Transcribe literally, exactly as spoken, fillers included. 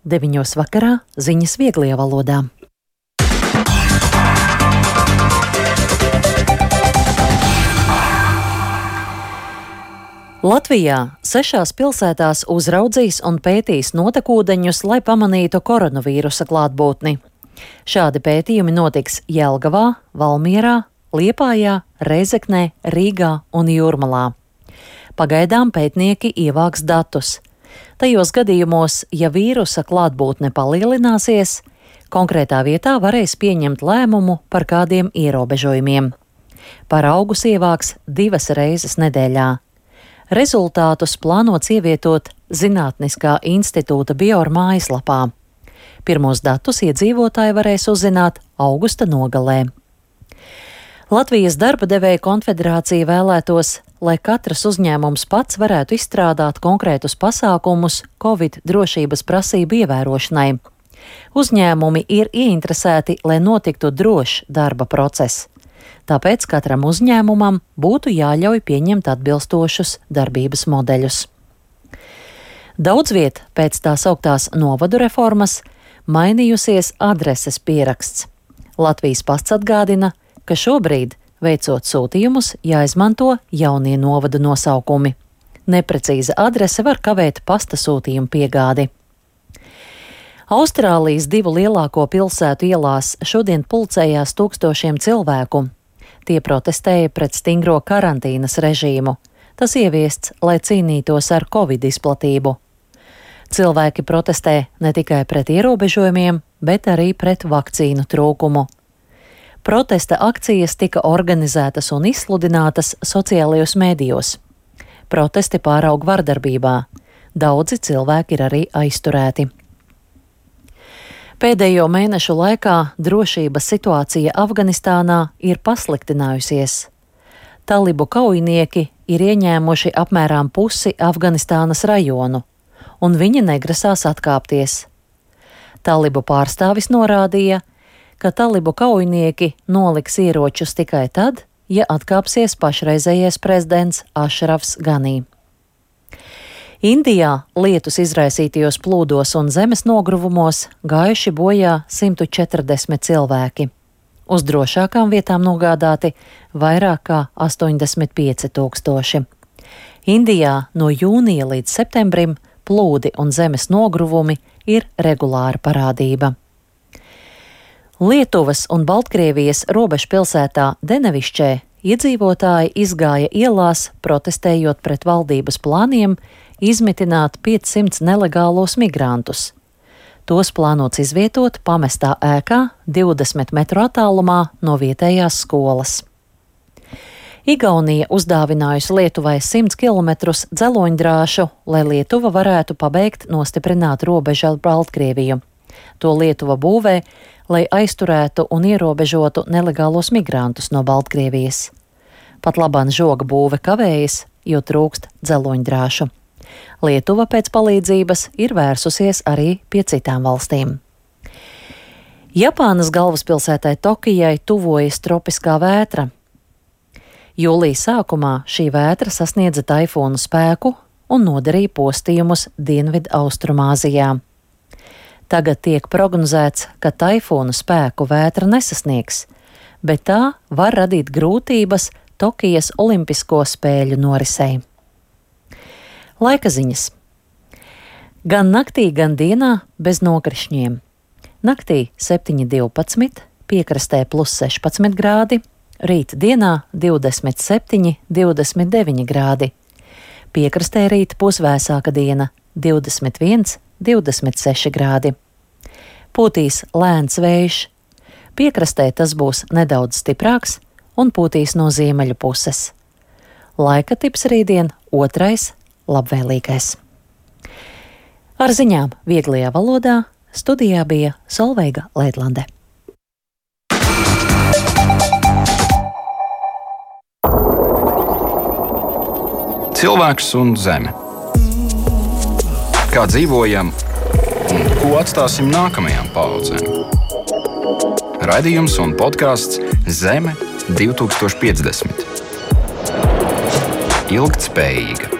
deviņos vakarā ziņas vieglajā valodā. Latvijā sešās pilsētās uzraudzīs un pētīs notekūdeņus, lai pamanītu koronavīrusa klātbūtni. Šādi pētījumi notiks Jelgavā, Valmierā, Liepājā, Rēzeknē, Rīgā un Jūrmalā. Pagaidām pētnieki ievāks datus. Tajos gadījumos, ja vīrusa klātbūtne palielināsies, konkrētā vietā varēs pieņemt lēmumu par kādiem ierobežojumiem. Paraugus ievāks divas reizes nedēļā. Rezultātus plānots ievietot Zinātniskā institūta Bior mājaslapā. Pirmos datus iedzīvotāji varēs uzzināt augusta nogalē. Latvijas darba devēja konfederācija vēlētos, lai katrs uzņēmums pats varētu izstrādāt konkrētus pasākumus Covid drošības prasību ievērošanai. Uzņēmumi ir ieinteresēti, lai notiktu drošs darba process. Tāpēc katram uzņēmumam būtu jāļauj pieņemt atbilstošus darbības modeļus. Daudzviet pēc tā sauktās novadu reformas mainījusies adreses pieraksts. Latvijas pasts atgādina, ka šobrīd, veicot sūtījumus, jāizmanto jaunie novadu nosaukumi. Neprecīza adrese var kavēt pasta sūtījumu piegādi. Austrālijas divu lielāko pilsētu ielās šodien pulcējās tūkstošiem cilvēku. Tie protestēja pret stingro karantīnas režīmu. Tas ieviests, lai cīnītos ar Covid izplatību. Cilvēki protestē ne tikai pret ierobežojumiem, bet arī pret vakcīnu trūkumu. Protesta akcijas tika organizētas un izsludinātas sociālajos mēdījos. Protesti pāraug vardarbībā. Daudzi cilvēki ir arī aizturēti. Pēdējo mēnešu laikā drošības situācija Afganistānā ir pasliktinājusies. Talibu kaujinieki ir ieņēmuši apmēram pusi Afganistānas rajonu, un viņi negrasās atkāpties. Talibu pārstāvis norādīja, ka talibu kaujinieki noliks ieročus tikai tad, ja atkāpsies pašreizējais prezidents Ašrafs Ganī. Indijā lietus izraisītajos plūdos un zemes nogruvumos gājuši bojā simt četrdesmit cilvēki. Uz drošākām vietām nogādāti vairāk kā astoņdesmit pieci tūkstoši. Indijā no jūnija līdz septembrim plūdi un zemes nogruvumi ir regulāra parādība. Lietuvas un Baltkrievijas robežpilsētā Denevišķē iedzīvotāji izgāja ielās, protestējot pret valdības plāniem izmitināt piecsimt nelegālos migrantus. Tos plānots izvietot pamestā ēkā divdesmit metru attālumā no vietējās skolas. Igaunija uzdāvinājusi Lietuvai simt kilometrus dzeloņdrāšu, lai Lietuva varētu pabeigt nostiprināt robežu ar Baltkrieviju. To Lietuva būvē, lai aizturētu un ierobežotu nelegālos migrantus no Baltkrievijas. Pat labāk žoga būve kavējas, jo trūkst dzeloņdrāšu. Lietuva pēc palīdzības ir vērsusies arī pie citām valstīm. Japānas galvaspilsētai Tokijai tuvojas tropiskā vētra. Jūlija sākumā šī vētra sasniedza taifūnu spēku un nodarīja postījumus Dienvidu Austrumāzijā. Tagad tiek prognozēts, ka taifūnu spēku vētra nesasniegs, bet tā var radīt grūtības Tokijas olimpisko spēļu norisei. Laika ziņas. Gan naktī, gan dienā bez nokrišņiem. Naktī septiņi divpadsmit, piekrastē plus sešpadsmit grādi, rīt dienā divdesmit septiņi, divdesmit deviņi grādi. Piekrastē rīt pusvēsāka diena divdesmit viens, divdesmit seši grādi. Pūtīs lēns vējš. Piekrastē tas būs nedaudz stiprāks un pūtīs no ziemeļu puses. Laika tips rītdien otrais labvēlīgais. Ar ziņām vieglajā valodā studijā bija Solveiga Leidlande. Cilvēks un zeme. Kā dzīvojam un ko atstāsim nākamajām paaudzēm? Raidījums un podcasts Zeme divtūkstoš piecdesmit. Ilgtspējīga.